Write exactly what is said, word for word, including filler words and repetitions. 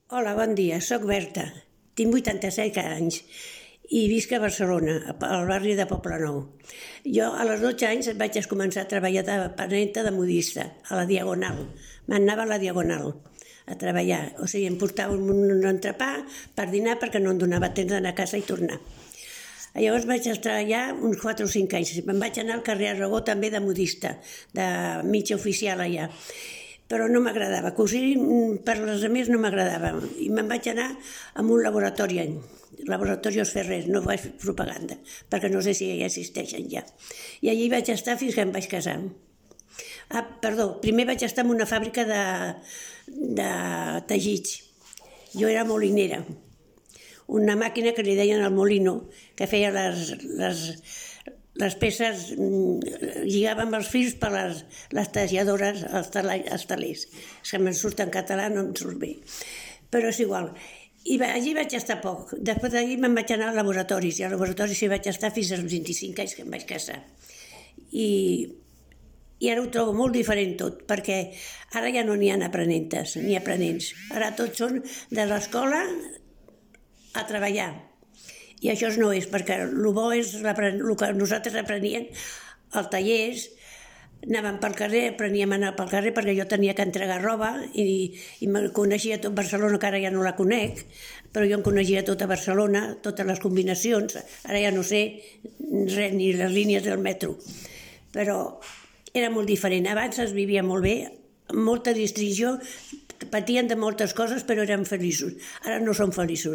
Hola, bon dia, soc Berta, tinc vuitanta-set anys i visc a Barcelona, al barri de Poblenou. Jo a les dotze anys vaig començar a treballar de panenta de modista, a la Diagonal. M'anava a la Diagonal a treballar, o sigui, em portava un entrepà per dinar perquè no em donava temps d'anar a casa i tornar. Llavors vaig estar allà uns quatre o cinc anys. Me'n vaig anar al carrer Aragó també de modista, de mitja oficial allà. Però no m'agradava, cosir per les altres no m'agradava. I me'n vaig anar a un laboratori, Laboratorios Ferrer, no faig propaganda, perquè no sé si ja existeixen ja. I allí vaig estar fins que em vaig casar. Ah, perdó, primer vaig estar en una fàbrica de, de teixits. Jo era molinera. Una màquina que li deien el molino, que feia les, les, les peces, lligàvem els fils per les, les talladores, els, tala, els talers. És que me'n surt en català, no em surt bé. Però és igual. I allí vaig estar poc. Després d'allí me'n vaig anar als laboratoris, i als laboratoris hi vaig estar fins als vint-i-cinc anys que em vaig casar. I, i ara ho trobo molt diferent tot, perquè ara ja no n'hi ha aprenentes, ni aprenents. Ara tots són de l'escola a treballar. I això no és, perquè el bo és el que nosaltres apreníem als tallers, anàvem pel carrer, apreníem a anar pel carrer perquè jo tenia que entregar roba i, i me coneixia tot Barcelona, que ara ja no la conec, però jo em coneixia tota Barcelona, totes les combinacions, ara ja no sé res, ni les línies del metro. Però era molt diferent, abans es vivia molt bé, amb molta distracció, patien de moltes coses però eren feliços, ara no són feliços.